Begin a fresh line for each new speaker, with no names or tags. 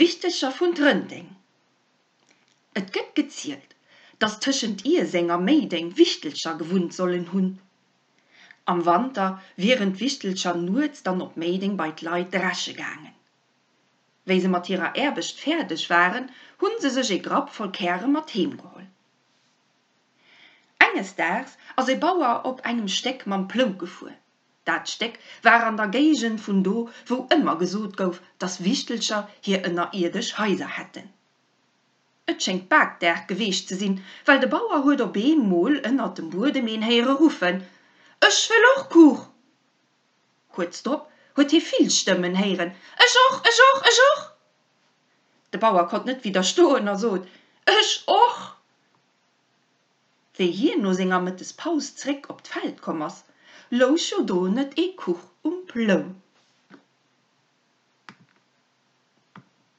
D'Wichtelcher vun Trënteng Et gëtt gezielt, dass tëschent Ierseng a Méideng Wichtelcher gewunnt sollen hunn. Am Wanter wieren d'Wichtelcher nuets dann op Méideng bei d'Leit dresche gaangen. Wéi se mat hirer Aarbecht fäerdeg waren, hunn se sech ee Grapp voll Käre mat heem geholl. Enges Daags ass e Bauer op engem Stéck mam Plou gefuer. Dat Stéck war an der Géigend vun do, wou ëmmer gesot gouf, dass Wichtelcher hir ënnerierdesch Haiser hätten. Et schéngt Bakdag geweecht ze sinn, well de Bauer huet op eemol ënnert dem Buedem een héiere ruffen, Ech wëll och Kuch! Kuerz drop huet hie vill Stëmmen héieren, Ech och, ech och, ech och! De Bauer konnt net widderstoen a sot, Ech och! Wéi hien no senger Mëttespaus zréck op d'Feld komm ass, louch jo do net ee Kuch um Plou.